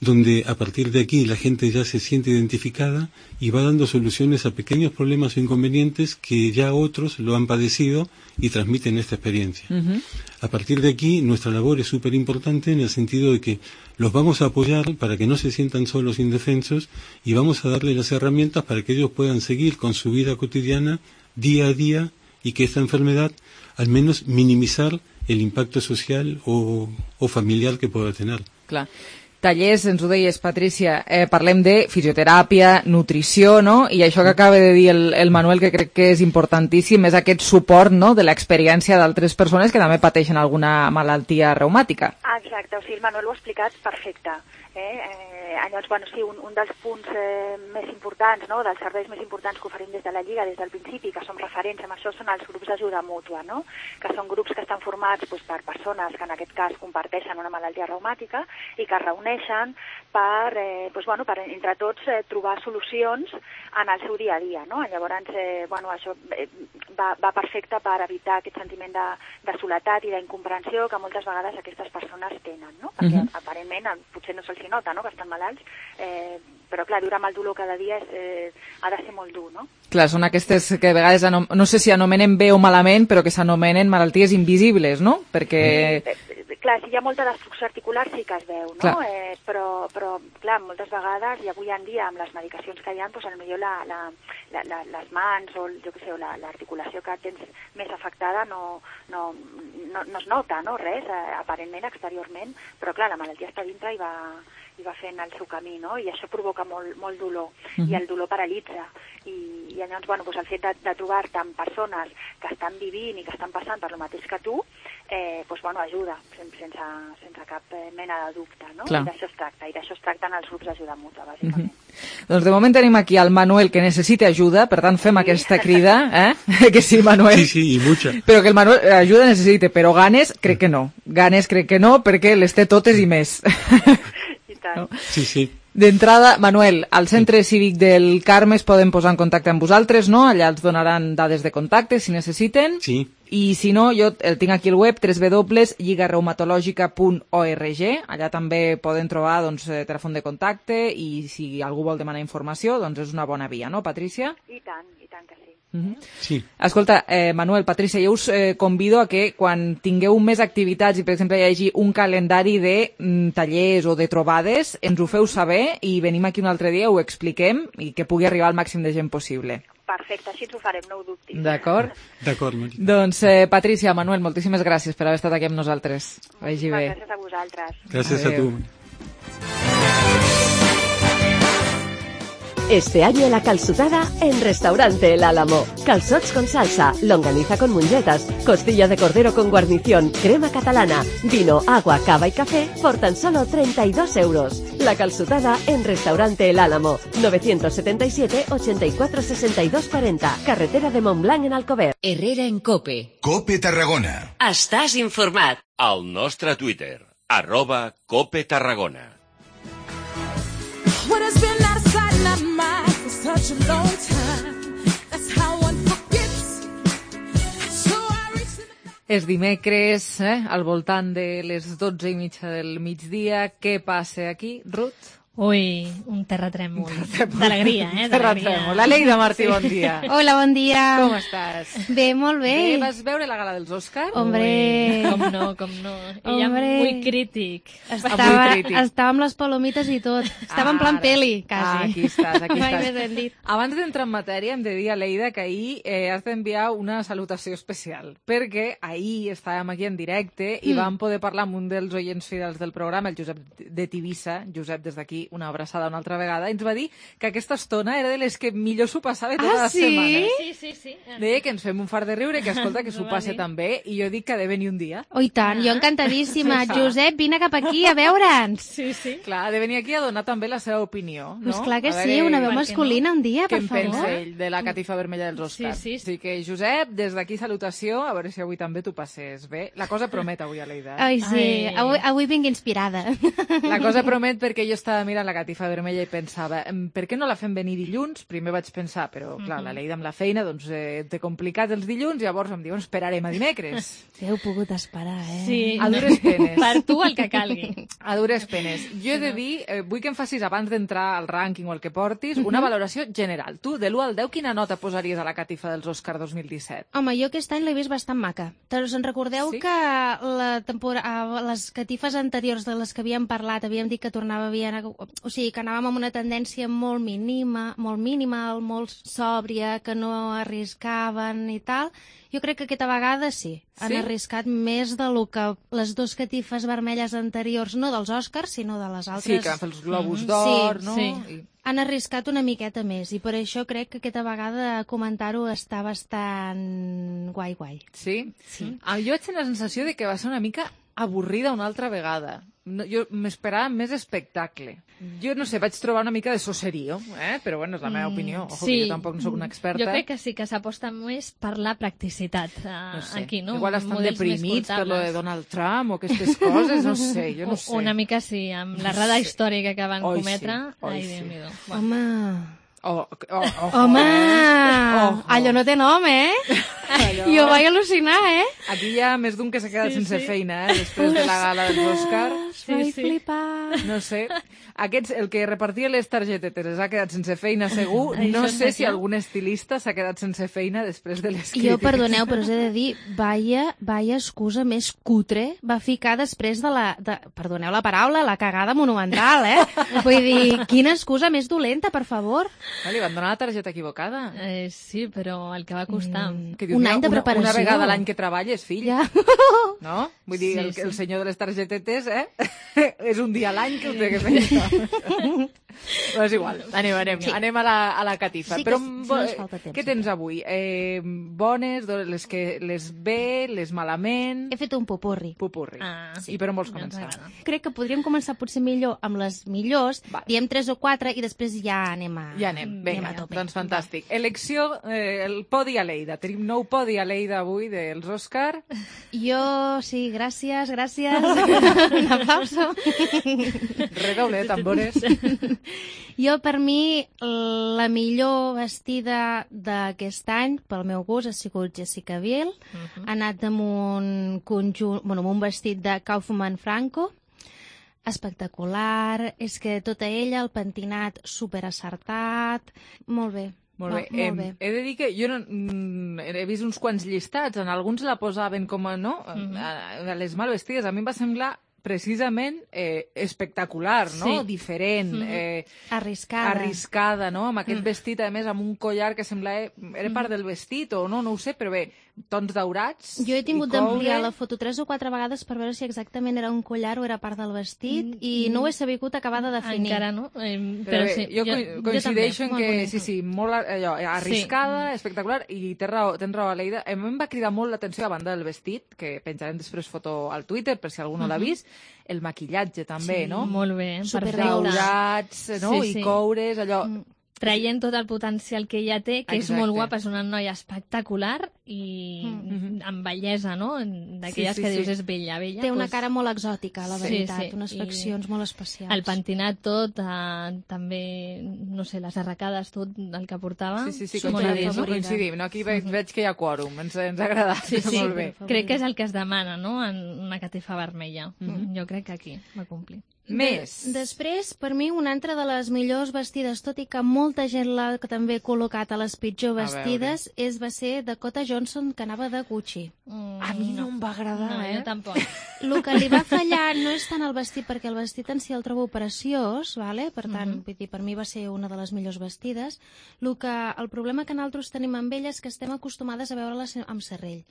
Speaker 11: donde a partir de aquí la gente ya se siente identificada y va dando soluciones a pequeños problemas o inconvenientes que ya otros lo han padecido y transmiten esta experiencia. Uh-huh. A partir de aquí nuestra labor es súper importante en el sentido de que los vamos a apoyar para que no se sientan solos, indefensos, y vamos a darle las herramientas para que ellos puedan seguir con su vida cotidiana día a día y que esta enfermedad al menos minimizar el impacto social o, o familiar que pueda tener.
Speaker 1: Clar. Tallers, ens ho deies, Patrícia, eh, parlem de fisioteràpia, nutrició, no? I això que acaba de dir el, el Manuel, que crec que és importantíssim, és aquest suport, no?, de l'experiència d'altres persones que també pateixen alguna malaltia reumàtica.
Speaker 10: Ah, exacte, o sigui, el Manuel ho ha explicat perfecte. Eh? Eh, llavors, bueno, sí, un, un dels punts eh, més importants, no?, dels serveis més importants que oferim des de la Lliga, des del principi, que som referents amb això, són els grups d'ajuda mútua, no?, que són grups que estan formats doncs, per persones que en aquest cas comparteixen una malaltia reumàtica i que es reuneixen per, eh, doncs, bueno, per entre tots eh, trobar solucions en el seu dia a dia, no? Llavors, eh, bueno, això eh, va, va perfecte per evitar aquest sentiment de, de soledat i d'incomprensió que moltes vegades aquestes persones tenen, no? Perquè uh-huh. aparentment potser no se'ls nota, no?, que estan malalts, eh, però clar, viure amb el dolor cada dia és, eh, ha de ser molt dur, no?
Speaker 1: Clar, són aquestes que a vegades, anom... no sé si anomenen bé o malament, però que s'anomenen malalties invisibles, no? Perquè...
Speaker 10: Eh, clar, si hi ha molta destrucció articular sí que es veu, no? Eh, però, però, clar, moltes vegades, i avui en dia amb les medicacions que hi ha, doncs potser la, la, la, la, les mans o, jo què sé, o la, l'articulació que tens més afectada no, no, no, no es nota, no? Res, eh, aparentment, exteriorment, però clar, la malaltia està dintre i va... i va fent el seu camí, no? I això provoca molt, molt dolor, uh-huh. i el dolor paralitza. I, i llavors, bueno, doncs el fet de, de trobar-te amb persones que estan vivint i que estan passant per lo mateix que tu, eh, doncs, bueno, ajuda, sense, sense cap mena de dubte, no? Clar. I d'això es tracta, i d'això es tracta en els grups d'ajuda mútua, bàsicament.
Speaker 1: Uh-huh. Doncs de moment tenim aquí el Manuel, que necessita ajuda, per tant fem sí. aquesta crida, eh? Que sí, Manuel.
Speaker 11: Sí, sí, i mucha.
Speaker 1: Però que el Manuel ajuda necessita, però ganes crec que no. Ganes crec que no, perquè les té totes i més.
Speaker 11: No? Sí, sí.
Speaker 1: D'entrada, Manuel, al Centre Cívic del Carme es poden posar en contacte amb vosaltres, no? Allà els donaran dades de contacte si necessiten.
Speaker 11: Sí.
Speaker 1: I si no, jo el tinc aquí al web, w w w punt lliga reumatològica punt org. Allà també poden trobar doncs, telèfon de contacte i si algú vol demanar informació, doncs és una bona via, no, Patrícia?
Speaker 10: I tant, i tant que sí.
Speaker 1: Uh-huh.
Speaker 11: Sí.
Speaker 1: Escolta, eh, Manuel, Patrícia, jo us eh, convido a que quan tingueu més activitats i, per exemple, hi hagi un calendari de mm, tallers o de trobades, ens ho feu saber i venim aquí un altre dia, ho expliquem i que pugui arribar al màxim de gent possible.
Speaker 10: Perfecte, així ens ho farem, no ho dubtis.
Speaker 1: D'acord?
Speaker 11: D'acord, Marita.
Speaker 1: Doncs, eh, Patrícia, Manuel, moltíssimes gràcies per haver estat aquí amb nosaltres. Vagi bé.
Speaker 10: Gràcies a vosaltres.
Speaker 11: Gràcies Adeu. a tu.
Speaker 12: Este año la calçotada en Restaurante El Álamo. Calzots con salsa, longaniza con mungetas, costilla de cordero con guarnición, crema catalana, vino, agua, cava y café por tan solo treinta y dos euros. La calçotada en Restaurante El Álamo. novecientos setenta y siete, ochenta y cuatro, sesenta y dos cuarenta. Carretera de Montblanc en Alcover.
Speaker 13: Herrera en Cope.
Speaker 14: Cope Tarragona.
Speaker 13: Estàs informat.
Speaker 14: Al nostre Twitter, arroba Cope Tarragona.
Speaker 15: What has been out of sight and out of mind for such a long time. That's how one forgets. So I reached in the...
Speaker 1: És dimecres, eh, al voltant de les dotze i mitja del migdia. Què passa aquí, Ruth?
Speaker 16: Ui, un terratrèmol d'alegria, eh?
Speaker 1: Terratrèmol. La Leida Martí, sí. Bon dia.
Speaker 17: Hola, bon dia.
Speaker 1: Com estàs?
Speaker 17: Bé, molt bé.
Speaker 1: Bé, vas veure la gala dels Òscars?
Speaker 17: Hombre.
Speaker 16: Ui, com no, com no. Ella muy crític.
Speaker 17: Estava, muy crític. Estava amb les palomites i tot. Estava ah, en plan peli, quasi.
Speaker 1: Ah, aquí estàs, aquí
Speaker 17: Mai
Speaker 1: estàs.
Speaker 17: més ben dit.
Speaker 1: Abans d'entrar en matèria, hem de dir a Leida que ahir eh, has d'enviar una salutació especial, perquè ahir estàvem aquí en directe i mm. vam poder parlar amb un dels oients fidels del programa, el Josep de Tivissa. Josep, des d'aquí, una abraçada una altra vegada, ens va dir que aquesta estona era de les que millor s'ho passava totes
Speaker 17: ah,
Speaker 1: les
Speaker 17: sí?
Speaker 1: setmanes.
Speaker 16: Sí, sí, sí.
Speaker 1: Deia que ens fem un fart de riure, que escolta, que s'ho passe tan bé, i jo dic que ha de venir un dia.
Speaker 17: Oh, i tant, jo encantadíssima. Sí, Josep, vine cap aquí a veure'ns.
Speaker 16: Sí, sí.
Speaker 1: Clar, ha de venir aquí a donar també la seva opinió, no?
Speaker 17: Pues clar que
Speaker 1: veure,
Speaker 17: sí, una veu masculina
Speaker 1: no?
Speaker 17: un dia, per
Speaker 1: favor. Què en pensa ell de la catifa vermella dels Oscars?
Speaker 16: Sí, sí.
Speaker 1: Així que, Josep, des d'aquí salutació, a veure si avui també t'ho passes bé. La cosa promet avui a Leida.
Speaker 17: Ai, sí, Ai. Avui, avui vinc inspirada.
Speaker 1: La cosa promet perquè jo estava mirant mirant la catifa vermella i pensava, per què no la fem venir dilluns? Primer vaig pensar, però clar, la Leida amb la feina, doncs eh, té complicat els dilluns, llavors em diuen, esperarem a dimecres.
Speaker 17: Sí, heu pogut esperar, eh?
Speaker 16: Sí.
Speaker 1: A dures penes.
Speaker 16: Per tu el que calgui.
Speaker 1: A dures penes. Jo he de dir, eh, vull que em facis, abans d'entrar al rànquing o el que portis, una valoració general. Tu, de l'u al deu, quina nota posaries a la catifa dels Òscar dos mil disset?
Speaker 17: Home, jo aquest any l'he vist bastant maca. Us en recordeu
Speaker 1: Sí?
Speaker 17: que la tempora... les catifes anteriors de les que havíem parlat, havíem dit que tornava bien, o sigui, que anàvem amb una tendència molt mínima, molt minimal, molt sòbria, que no arriscaven i tal. Jo crec que aquesta vegada sí, han
Speaker 1: Sí?
Speaker 17: arriscat més de lo que les dues catifes vermelles anteriors, no dels Òscars, sinó de les altres.
Speaker 1: Sí, que van fer els globus d'or, no?
Speaker 17: Sí,
Speaker 1: I...
Speaker 17: han arriscat una miqueta més i per això crec que aquesta vegada comentar-ho està bastant guai, guai.
Speaker 1: Sí?
Speaker 17: Sí.
Speaker 1: Ah, jo vaig tenir la sensació de que va ser una mica avorrida una altra vegada. No, jo m'esperava més espectacle. Jo no sé, vaig trobar una mica de soserio, eh? Però bueno, és la meva opinió. Ojo, que jo tampoc no soc una experta.
Speaker 16: Jo crec que sí que s'aposta més per la practicitat eh,
Speaker 1: No sé,
Speaker 16: aquí, no?
Speaker 1: igual estan
Speaker 16: Models més
Speaker 1: deprimits per lo de
Speaker 16: portables.
Speaker 1: Donald Trump o aquestes coses, no sé, jo no sé.
Speaker 16: Una mica sí, amb la rada històrica que van
Speaker 1: Oi,
Speaker 16: cometre.
Speaker 1: sí, oi,
Speaker 16: Ai,
Speaker 1: sí.
Speaker 16: Déu-n'hi-do.
Speaker 17: Home...
Speaker 1: Oh, oh, oh,
Speaker 17: Home!
Speaker 1: Oh,
Speaker 17: Allò no té nom, eh?
Speaker 1: Allò...
Speaker 17: Jo vaig al·lucinar, eh?
Speaker 1: Aquí hi ha més d'un que s'ha quedat
Speaker 16: Sí,
Speaker 1: sense
Speaker 16: sí.
Speaker 1: feina, eh? Després de la gala dels Òscar.
Speaker 16: Sí,
Speaker 17: vaig
Speaker 16: sí.
Speaker 17: flipar.
Speaker 1: No sé. Aquests, el que repartia les targetetes ha quedat sense feina segur.
Speaker 16: Això
Speaker 1: No
Speaker 16: està
Speaker 1: sé si
Speaker 16: clar.
Speaker 1: algun estilista s'ha quedat sense feina després de les
Speaker 17: Jo,
Speaker 1: crítiques.
Speaker 17: perdoneu, però us he de dir, vaya, vaya excusa més cutre va ficar després de la... De, perdoneu la paraula, la cagada monumental, eh? Vull dir, quina excusa més dolenta, per favor.
Speaker 1: Ah, li van donar la targeta equivocada.
Speaker 16: Eh, sí, però el que va costar.
Speaker 17: Mm.
Speaker 1: Que dius,
Speaker 17: Un
Speaker 1: una-
Speaker 17: any de
Speaker 1: una-
Speaker 17: preparació.
Speaker 1: Una vegada a l'any que treballes, fill.
Speaker 17: Ja.
Speaker 1: No? Vull dir,
Speaker 16: Sí,
Speaker 1: el,
Speaker 16: sí.
Speaker 1: el senyor de les targetetes, eh? És un dia a l'any que ho té que fer. Però és igual, anem, anem,
Speaker 17: Sí.
Speaker 1: anem a la, a la catifa.
Speaker 17: Sí que
Speaker 1: Però,
Speaker 17: no
Speaker 1: bo-
Speaker 17: ens falta temps,
Speaker 1: què tens avui? Eh, bones, do- les, que, les bé, les malament...
Speaker 17: He fet un popurri.
Speaker 1: Popurri.
Speaker 16: Ah,
Speaker 1: I per on vols
Speaker 16: ja ens
Speaker 1: començar?
Speaker 16: agrada.
Speaker 17: Crec que podríem començar potser millor amb les millors,
Speaker 1: Vale.
Speaker 17: diem tres o quatre i després ja anem a...
Speaker 1: Ja anem, vinga,
Speaker 17: anem a tope.
Speaker 1: doncs fantàstic. Elecció, eh, el podi a Lleida. Tenim nou podi a Lleida avui dels Òscar.
Speaker 17: Jo, sí, gràcies, gràcies. Un aplauso.
Speaker 1: Redoble de tambores.
Speaker 17: Jo, per mi, la millor vestida d'aquest any, pel meu gust, ha sigut Jessica Biel.
Speaker 16: Mhm.
Speaker 17: Ha anat amb un conjunt, bueno, amb un vestit de Kaufman Franco, espectacular. És que tota ella, el pentinat superacertat. Molt bé.
Speaker 1: Molt bé.
Speaker 17: Molt, molt bé.
Speaker 1: Em, he de dir que jo no, mm, he vist uns quants llistats, en alguns la posaven com a, no?
Speaker 16: Mhm.
Speaker 1: a, a les mal vestides. A mi em va semblar precisament eh, espectacular, no?
Speaker 16: Sí.
Speaker 1: Diferent,
Speaker 16: Mhm.
Speaker 1: eh,
Speaker 17: Arriscada.
Speaker 1: arriscada, no? Amb aquest
Speaker 16: Mm.
Speaker 1: vestit, a més, amb un collar que semblava... Era part del vestit o no? No ho sé, però bé, tons daurats.
Speaker 17: Jo he tingut
Speaker 1: i coure.
Speaker 17: d'ampliar la foto tres o quatre vegades per veure si exactament era un collar o era part del vestit i no ho he sabut acabar de definir.
Speaker 16: Encara no, eh,
Speaker 1: Però,
Speaker 16: però
Speaker 1: bé,
Speaker 16: sí.
Speaker 1: jo, co- coincideixo en
Speaker 17: Molt
Speaker 1: que,
Speaker 17: bonic.
Speaker 1: sí, sí, molt allò, arriscada, espectacular, i tens raó, tens raó, Aleida. A mi em va cridar molt l'atenció a banda del vestit, que penjarem després foto al Twitter, per si algú no l'ha
Speaker 16: Mhm.
Speaker 1: vist, el maquillatge també,
Speaker 16: Sí,
Speaker 1: no?
Speaker 16: molt bé,
Speaker 17: Superbé.
Speaker 16: perfecte.
Speaker 1: Daurats, no?
Speaker 16: Sí,
Speaker 1: I
Speaker 16: sí.
Speaker 1: coures, allò...
Speaker 17: Mm.
Speaker 16: Traient tot el potencial que ella té, que
Speaker 1: Exacte.
Speaker 16: és molt guapa, és una noia espectacular i
Speaker 17: Mm.
Speaker 16: amb bellesa, no? D'aquelles
Speaker 1: Sí, sí,
Speaker 16: que dius
Speaker 1: sí.
Speaker 16: és bella, bella.
Speaker 17: Té una
Speaker 16: doncs,
Speaker 17: cara molt exòtica, la
Speaker 16: Sí,
Speaker 17: veritat,
Speaker 16: sí,
Speaker 17: unes
Speaker 16: i
Speaker 17: faccions molt especials.
Speaker 16: el pentinat tot, eh, també, no sé, les arracades, tot el que portava.
Speaker 1: Sí, sí, sí,
Speaker 16: molt
Speaker 1: coincidim,
Speaker 16: bé, no?
Speaker 1: coincidim. No? Aquí veig, veig que hi ha quòrum, ens, ens ha agradat,
Speaker 16: Sí, sí,
Speaker 1: molt bé.
Speaker 16: crec que és el que es demana, no?, en una catifa vermella.
Speaker 1: Mhm.
Speaker 16: Jo crec que aquí va complir.
Speaker 1: Més.
Speaker 17: De, després, per mi, una altra de les millors vestides, tot i que molta gent l'ha també ha col·locat a les pitjor
Speaker 1: A
Speaker 17: vestides, és, va ser Dakota Johnson, que anava de Gucci.
Speaker 16: Mm,
Speaker 1: A mi no em va agradar,
Speaker 16: no,
Speaker 1: eh?
Speaker 16: jo tampoc.
Speaker 17: El que li va fallar no és tant el vestit, perquè el vestit en si el trobo preciós, vale? Per tant,
Speaker 16: Mhm.
Speaker 17: vull dir, per mi va ser una de les millors vestides. El, que, el problema que nosaltres tenim amb ella és que estem acostumades a veure-la se- amb serrell.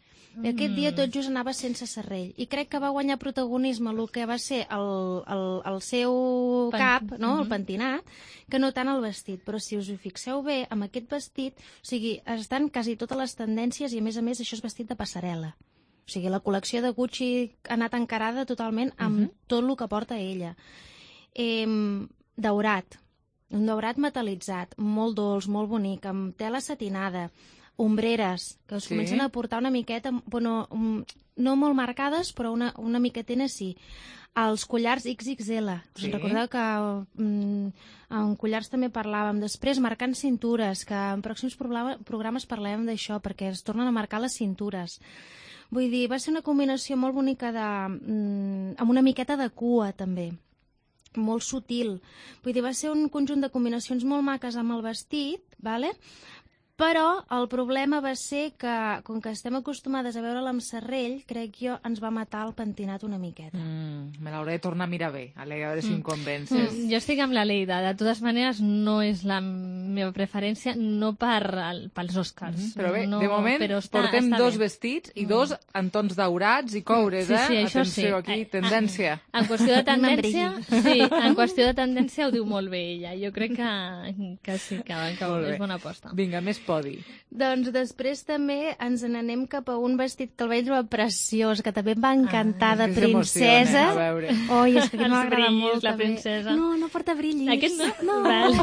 Speaker 17: I aquest dia tot just anava sense serrell. I crec que va guanyar protagonisme el que va ser el, el, el seu
Speaker 16: Pen-
Speaker 17: cap, no? el
Speaker 16: Mhm.
Speaker 17: pentinat, que no tant el vestit. Però si us hi fixeu bé, amb aquest vestit, o sigui, estan quasi totes les tendències i, a més a més, això és vestit de passarel·la. O sigui, la col·lecció de Gucci ha anat encarada totalment amb
Speaker 1: Mhm.
Speaker 17: tot el que porta ella. Eh, daurat, un daurat metalitzat, molt dolç, molt bonic, amb tela satinada, ombreres, que us
Speaker 1: Sí.
Speaker 17: comencen a portar una miqueta, bueno, um, no molt marcades, però una, una miquetena sí. Els collars ics ics ele. Us
Speaker 1: Sí.
Speaker 17: recordeu que mm, en collars també parlàvem. Després, marcant cintures, que en pròxims programa, programes parlàvem d'això, perquè es tornen a marcar les cintures. Vull dir, va ser una combinació molt bonica de, mm, amb una miqueta de cua, també. Molt sutil. Vull dir, va ser un conjunt de combinacions molt maques amb el vestit, vale? Però el problema va ser que, com que estem acostumades a veure-la amb serrell, crec jo, ens va matar el pentinat una miqueta.
Speaker 1: Mm, me l'hauré de tornar a mirar bé, a veure si em convences.
Speaker 16: Mm, jo estic amb la Leida. De totes maneres, no és la meva preferència, no per, el, pels Oscars.
Speaker 1: Mm, però bé,
Speaker 16: no,
Speaker 1: de moment
Speaker 16: però està,
Speaker 1: portem
Speaker 16: està
Speaker 1: dos
Speaker 16: bé.
Speaker 1: vestits i dos en tons daurats i coures,
Speaker 16: Sí, sí,
Speaker 1: eh?
Speaker 16: això
Speaker 1: Atenció,
Speaker 16: sí.
Speaker 1: aquí, tendència.
Speaker 16: En qüestió de
Speaker 17: No
Speaker 16: tendència, sí, en qüestió de tendència ho diu molt bé ella. Jo crec que, que sí, que, que
Speaker 1: Molt bé.
Speaker 16: és bona aposta.
Speaker 1: Vinga, més podi.
Speaker 17: Doncs després també ens n'anem cap a un vestit que el vaig trobar preciós, que també em va encantar,
Speaker 1: Ah,
Speaker 17: de
Speaker 1: és que
Speaker 17: princesa.
Speaker 1: s'emociona, a veure.
Speaker 17: Oi, és que
Speaker 16: Els
Speaker 17: m'agrada
Speaker 16: brillis,
Speaker 17: molt.
Speaker 16: la
Speaker 17: també.
Speaker 16: princesa.
Speaker 17: No, no porta brillis.
Speaker 16: Aquest no?
Speaker 17: No.
Speaker 16: Val.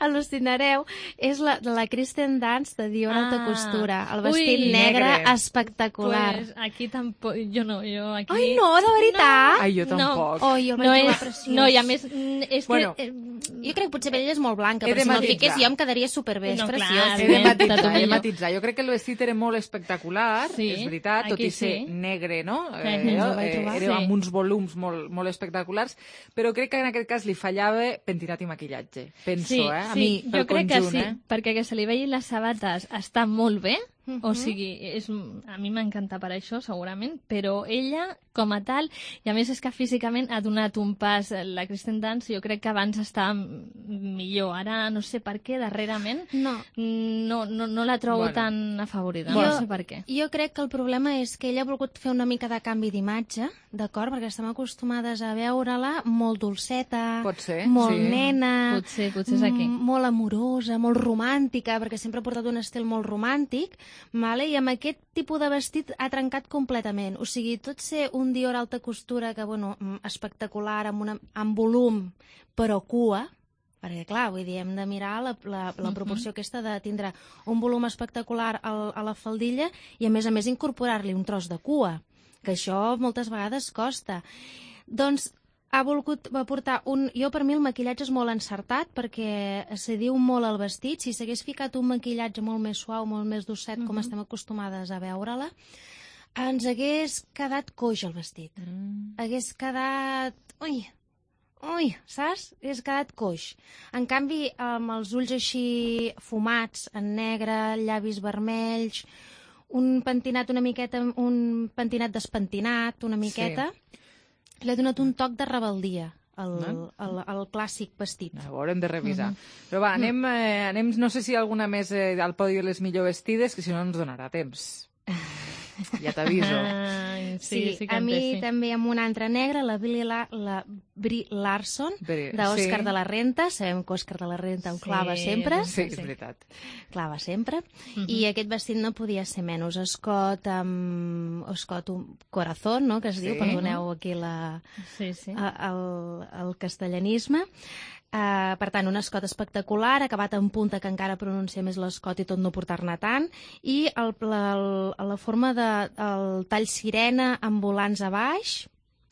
Speaker 17: Al·lucinareu. És la, de la Kristen Dunst de Dior
Speaker 16: Ah.
Speaker 17: Alta Costura. El vestit
Speaker 16: Ui,
Speaker 17: negre,
Speaker 1: negre.
Speaker 17: espectacular.
Speaker 16: Pues aquí tampoc... Jo no, jo aquí...
Speaker 17: Ai, no, de veritat?
Speaker 1: Ai, jo
Speaker 16: No.
Speaker 1: tampoc.
Speaker 17: Oi, jo el
Speaker 16: No
Speaker 17: vaig trobar
Speaker 16: és,
Speaker 17: preciós.
Speaker 16: no, i a més, mm, és
Speaker 1: Bueno,
Speaker 16: que... Eh,
Speaker 17: Jo crec que potser ella és molt blanca,
Speaker 1: He
Speaker 17: però
Speaker 1: de
Speaker 17: si me'l
Speaker 1: matisar.
Speaker 17: fiqués jo em quedaria superbé, és
Speaker 16: No, clar,
Speaker 17: preciós.
Speaker 1: He de
Speaker 16: Bé,
Speaker 1: matitzar,
Speaker 16: tot
Speaker 1: he de
Speaker 16: millor.
Speaker 1: matitzar. Jo crec que el vestit era molt espectacular,
Speaker 16: Sí,
Speaker 1: és veritat, tot
Speaker 16: aquí
Speaker 1: i ser
Speaker 16: sí.
Speaker 1: negre, no?
Speaker 16: Eh,
Speaker 1: Eh,
Speaker 16: ens ho
Speaker 17: vaig trobar.
Speaker 1: era
Speaker 16: Sí.
Speaker 1: amb uns volums molt, molt espectaculars, però crec que en aquest cas li fallava pentinat i maquillatge. Penso,
Speaker 16: sí,
Speaker 1: eh? A
Speaker 16: sí,
Speaker 1: mi, pel
Speaker 16: jo crec
Speaker 1: conjunt,
Speaker 16: que sí,
Speaker 1: eh?
Speaker 16: perquè que se li vegin les sabates està molt bé,
Speaker 17: Mhm.
Speaker 16: o sigui, és, a mi m'encanta per això, segurament, però ella, com a tal, i a més és que físicament ha donat un pas, la Kristen Dunst, jo crec que abans estava millor, ara no sé per què, darrerament,
Speaker 17: No.
Speaker 16: no, no, no la trobo
Speaker 1: Bueno.
Speaker 16: tan afavorida,
Speaker 17: Jo-
Speaker 16: no sé per què.
Speaker 17: Jo crec que el problema és que ella ha volgut fer una mica de canvi d'imatge, d'acord? Perquè estem acostumades a veure-la molt dolceta,
Speaker 1: Pot ser,
Speaker 17: molt
Speaker 1: sí.
Speaker 17: nena,
Speaker 16: Potser, potser és aquí.
Speaker 17: m- molt amorosa, molt romàntica, perquè sempre ha portat un estil molt romàntic, vale? I amb aquest tipus de vestit ha trencat completament. O sigui, tot ser un Dior alta costura que, bueno, mm, espectacular, amb, una, amb volum, però cua, perquè, clar, vull dir, hem de mirar la, la, la proporció aquesta de tindre un volum espectacular al, a la faldilla i, a més a més, incorporar-li un tros de cua, que això moltes vegades costa. Doncs ha volgut va portar un... Jo, per mi, el maquillatge és molt encertat perquè se diu molt al vestit. Si s'hagués ficat un maquillatge molt més suau, molt més docet, com estem acostumades a veure-la, ens hagués quedat coix el vestit.
Speaker 1: Mm.
Speaker 17: Hagués quedat... Ui, ui, saps? Hagués quedat coix. En canvi, amb els ulls així fumats, en negre, llavis vermells, un pentinat una miqueta, un pentinat despentinat, una miqueta, sí. Li ha donat un toc de rebeldia al, al, al clàssic vestit.
Speaker 1: A veure, hem de revisar.
Speaker 17: Mhm.
Speaker 1: Però va, anem, eh, anem, no sé si alguna més eh, al podi de les millor vestides, que si no ens donarà temps. Ja t'aviso.
Speaker 16: Ai,
Speaker 17: Sí,
Speaker 16: sí, sí que
Speaker 17: a
Speaker 16: en
Speaker 17: mi
Speaker 16: té, sí.
Speaker 17: també amb una altra negra, la Brie, la, la Brie Larson,
Speaker 1: Brie,
Speaker 17: d'Òscar
Speaker 1: sí.
Speaker 17: de la Renta. Sabem que Òscar de la Renta ho
Speaker 16: Sí,
Speaker 17: clava sempre.
Speaker 1: Sí, és veritat.
Speaker 17: Clava sempre.
Speaker 16: Mhm.
Speaker 17: I aquest vestit no podia ser menys. Escot amb... Escot un corazón, no?, que es diu,
Speaker 1: Sí.
Speaker 17: perdoneu aquí la,
Speaker 16: Sí, sí.
Speaker 17: el, el castellanisme. Uh, per tant, un escot espectacular, acabat en punta, que encara pronuncia més l'escot i tot no portar-ne tant, i el, la, el, la forma de el tall sirena amb volants a baix,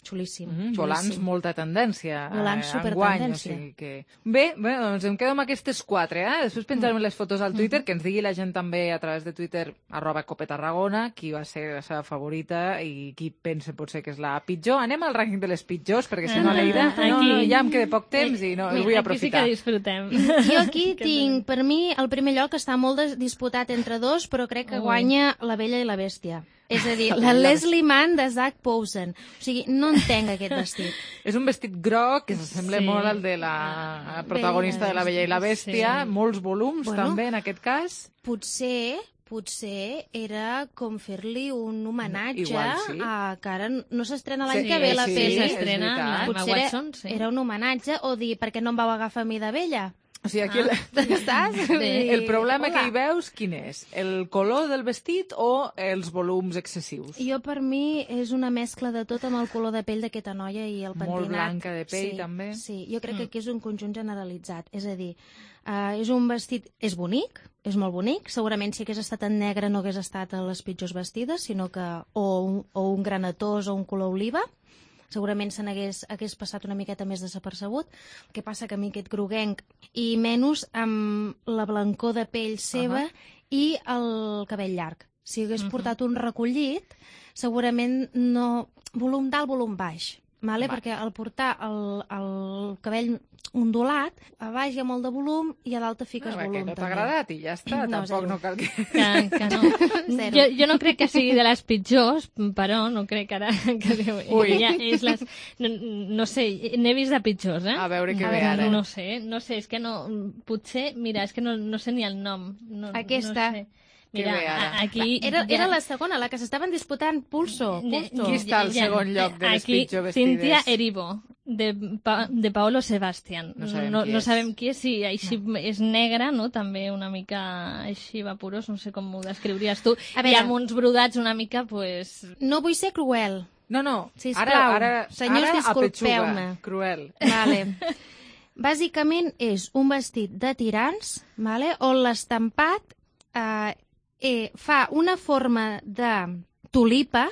Speaker 17: xulíssim.
Speaker 1: Mm, volants, molta tendència.
Speaker 17: Volants,
Speaker 1: eh, enguany,
Speaker 17: supertendència.
Speaker 1: O sigui que... Bé, bé, doncs em quedo amb aquestes quatre, eh? Després penjarem les fotos al Twitter, que ens digui la gent també a través de Twitter, arroba Cope Tarragona, qui va ser la seva favorita i qui pensa potser que és la pitjor. Anem al rànquing de les pitjors, perquè si no,
Speaker 16: Ah,
Speaker 1: Leida, no,
Speaker 16: aquí.
Speaker 1: no, ja em queda poc temps i no,
Speaker 16: Mira,
Speaker 1: vull
Speaker 16: aquí
Speaker 1: aprofitar.
Speaker 16: sí que disfrutem.
Speaker 17: Jo aquí tinc, per mi, el primer lloc està molt des- disputat entre dos, però crec que
Speaker 16: Ui.
Speaker 17: guanya La Bella i la Bèstia. És a dir,
Speaker 1: La
Speaker 17: la
Speaker 1: Bella.
Speaker 17: Leslie Mann de Zac Posen. O sigui, no entenc aquest vestit.
Speaker 1: És un vestit groc que s'assembla
Speaker 16: Sí.
Speaker 1: molt al de la protagonista de La Bella i la Bèstia,
Speaker 16: Sí.
Speaker 1: molts volums
Speaker 17: Bueno.
Speaker 1: també en aquest cas.
Speaker 17: Potser potser era com fer-li un homenatge
Speaker 1: Igual sí.
Speaker 17: a que ara no s'estrena l'any
Speaker 1: Sí,
Speaker 17: que ve la
Speaker 1: sí,
Speaker 17: pel·li.
Speaker 1: és
Speaker 16: s'estrena
Speaker 1: veritat.
Speaker 16: la Emma
Speaker 17: Potser era,
Speaker 16: Watson, sí.
Speaker 17: era un homenatge, o dir, per què no em vau agafar a mi de vella?
Speaker 1: O sigui, aquí
Speaker 16: Ah.
Speaker 1: el,
Speaker 17: Saps?
Speaker 16: Bé.
Speaker 1: el problema
Speaker 17: Hola.
Speaker 1: que hi veus, quin és? El color del vestit o els volums excessius?
Speaker 17: Jo, per mi, és una mescla de tot amb el color de pell d'aquesta noia i el pentinat.
Speaker 1: Molt blanca de pell,
Speaker 17: sí,
Speaker 1: també.
Speaker 17: Sí, jo crec que aquí és un conjunt generalitzat. És a dir, Uh, és un vestit... És bonic, és molt bonic. Segurament si hagués estat en negre no hagués estat a les pitjors vestides, sinó que o un, o un granatós o un color oliva. Segurament se n'hagués hagués passat una miqueta més desapercebut. El que passa que a mi aquest groguenc, i menys amb la blancor de pell seva uh -huh. i el cabell llarg. Si hagués uh -huh. portat un recollit, segurament no... Volum d'alt, volum baix. Vale? Perquè al portar el, el cabell ondulat, a baix hi ha molt de volum i a dalt te fiques
Speaker 1: no,
Speaker 17: volum.
Speaker 1: Que no t'ha agradat i ja està, no, tampoc
Speaker 17: zero.
Speaker 1: no cal que...
Speaker 16: Que, que no. jo, jo no crec que sigui de les pitjors, però no crec ara que Déu, ja és les... No, no sé, n'he vist de pitjors, eh?
Speaker 1: A veure què
Speaker 16: a
Speaker 1: ve
Speaker 16: veure,
Speaker 1: ara.
Speaker 16: No sé, no sé, és que no... Potser, mira, és que no, no sé ni el nom. No,
Speaker 17: Aquesta.
Speaker 16: No sé. Mira, aquí...
Speaker 17: Era, era la segona, la que s'estaven disputant Pulso. Pulso.
Speaker 1: Qui està al segon lloc de les
Speaker 16: aquí,
Speaker 1: pitjors vestides?
Speaker 16: Cíntia Erivo, de, pa, de Paolo Sebastián.
Speaker 1: No sabem
Speaker 16: no,
Speaker 1: qui
Speaker 16: no
Speaker 1: és.
Speaker 16: sabem qui és, sí, així no. És negra, no? També una mica així vaporós, no sé com ho descriuries tu.
Speaker 17: A veure,
Speaker 16: I amb uns brodats una mica, pues...
Speaker 17: No vull ser cruel.
Speaker 1: No, no,
Speaker 17: Sisplau,
Speaker 1: ara, ara,
Speaker 17: senyors,
Speaker 1: ara
Speaker 17: disculpeu-me.
Speaker 1: Cruel.
Speaker 17: Vale. Bàsicament és un vestit de tirants, vale? On l'estampat eh, eh, fa una forma de tulipa,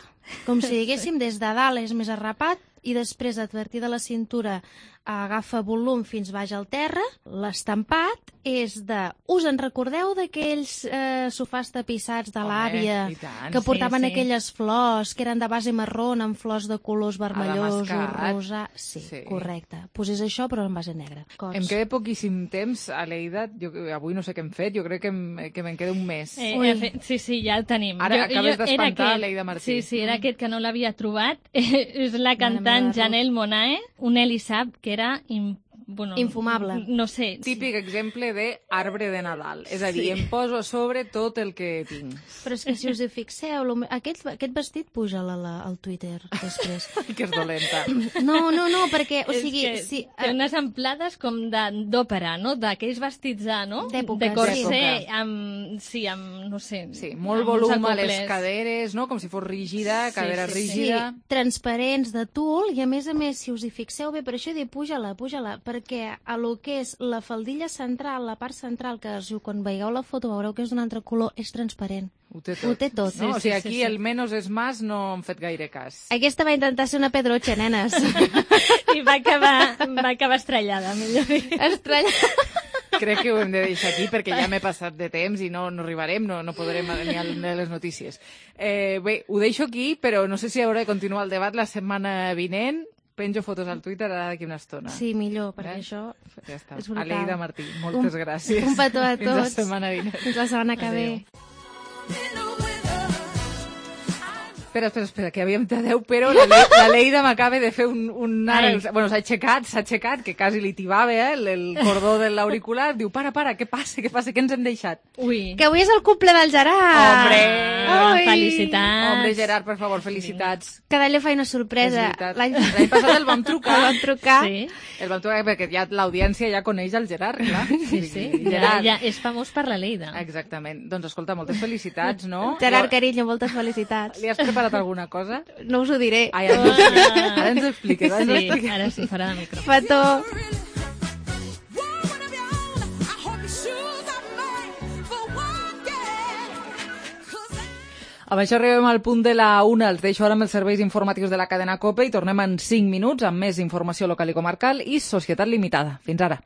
Speaker 17: com si diguéssim des de dalt és més arrapat, i després, a partir de la cintura, agafa volum fins baix al terra. L'estampat és de... Us en recordeu d'aquells eh, sofàs tapissats de l'àvia que portaven
Speaker 16: sí, sí.
Speaker 17: aquelles flors que eren de base marrón amb flors de colors vermellosos, rosa... Sí, sí, correcte. Pues és això, però en base negra. Cots.
Speaker 1: Em queda poquíssim temps, Aleida. Jo, avui no sé què hem fet, jo crec que, em, que me'n queda un mes.
Speaker 16: Eh, fet, sí, sí, ja el tenim.
Speaker 1: Ara
Speaker 16: jo,
Speaker 1: acabes d'espantar
Speaker 16: aquest,
Speaker 1: Aleida Martí.
Speaker 16: Sí, sí, era mm. aquest que no l'havia trobat. És la cantant Janelle Monáe, un Elisab que era... Im, bueno,
Speaker 17: infumable.
Speaker 16: No sé.
Speaker 1: Típic exemple de arbre de Nadal. És a dir, sí. em poso a sobre tot el que tinc.
Speaker 17: Però és que si us hi fixeu, aquest, aquest vestit puja al Twitter després.
Speaker 1: Que és dolenta.
Speaker 17: No, no, no, perquè, o sigui...
Speaker 16: És que
Speaker 17: sí,
Speaker 16: té unes amplades com d'òpera, no? D'aquells vestits de, no?
Speaker 17: D'època.
Speaker 16: De corset, amb... Sí, amb, no sé...
Speaker 1: Sí, molt volum a les caderes, no? Com si fos rígida, cadera
Speaker 16: sí, sí,
Speaker 1: rígida.
Speaker 17: Sí, transparents de tul, i a més a més, si us hi fixeu bé, per això he dit puja-la, puja-la, perquè a lo que és la faldilla central, la part central, que quan veieu la foto veureu que és d'un altre color, és transparent.
Speaker 1: Ho té tot.
Speaker 17: Ho té tot.
Speaker 1: No?
Speaker 17: Sí,
Speaker 1: o sigui,
Speaker 17: sí,
Speaker 1: aquí
Speaker 17: sí, sí.
Speaker 1: el menos és más no hem fet gaire cas.
Speaker 17: Aquesta va intentar ser una pedroche, nenes.
Speaker 16: I va acabar, va acabar estrellada, millor dir.
Speaker 17: Estrellada.
Speaker 1: Crec que ho hem de deixar aquí perquè ja m'he passat de temps i no, no arribarem, no, no podrem ni a les notícies. Eh, bé, ho deixo aquí, però no sé si hauré de continuar el debat la setmana vinent. Penjo fotos al Twitter ara d'aquí una estona.
Speaker 17: Sí, millor, perquè eh? això
Speaker 1: ja està.
Speaker 17: És brutal.
Speaker 1: Aleida Martí, moltes
Speaker 17: un,
Speaker 1: gràcies.
Speaker 17: Un petó a tots.
Speaker 1: Fins la setmana vinent.
Speaker 17: Fins la setmana que ve.
Speaker 1: Espera, espera, espera, que havíem de deu, però la, Le la Leida m'acaba de fer un... un ara, bueno, s'ha aixecat, s'ha aixecat, que quasi li tibava eh, el, el cordó de l'auricular. Diu, para, para, què passa, què passa, què ens hem deixat?
Speaker 16: Ui.
Speaker 17: Que avui és el cumple del Gerard.
Speaker 1: Hombre!
Speaker 17: Ai.
Speaker 16: Felicitats.
Speaker 1: Hombre, Gerard, per favor, felicitats.
Speaker 17: Cada any li fa una sorpresa.
Speaker 1: L'any passat el vam trucar.
Speaker 17: El vam trucar.
Speaker 16: Sí.
Speaker 1: El vam trucar perquè ja l'audiència ja coneix el Gerard, clar.
Speaker 16: Sí, sí.
Speaker 1: Gerard.
Speaker 16: Ja, ja és famós per la Leida.
Speaker 1: Exactament. Doncs escolta, moltes felicitats, no?
Speaker 17: Gerard, carinyo, moltes felicitats.
Speaker 1: Li has preparat alguna cosa?
Speaker 17: No us ho diré.
Speaker 1: Ai, ara, ah. ara ens ho expliques. Ara,
Speaker 16: sí, expliques. Ara sí, farà de micro.
Speaker 17: Petó.
Speaker 1: Amb això arribem al punt de la una. Els deixo ara amb els serveis informatius de la cadena COPE i tornem en cinc minuts amb més informació local i comarcal i Societat Limitada. Fins ara.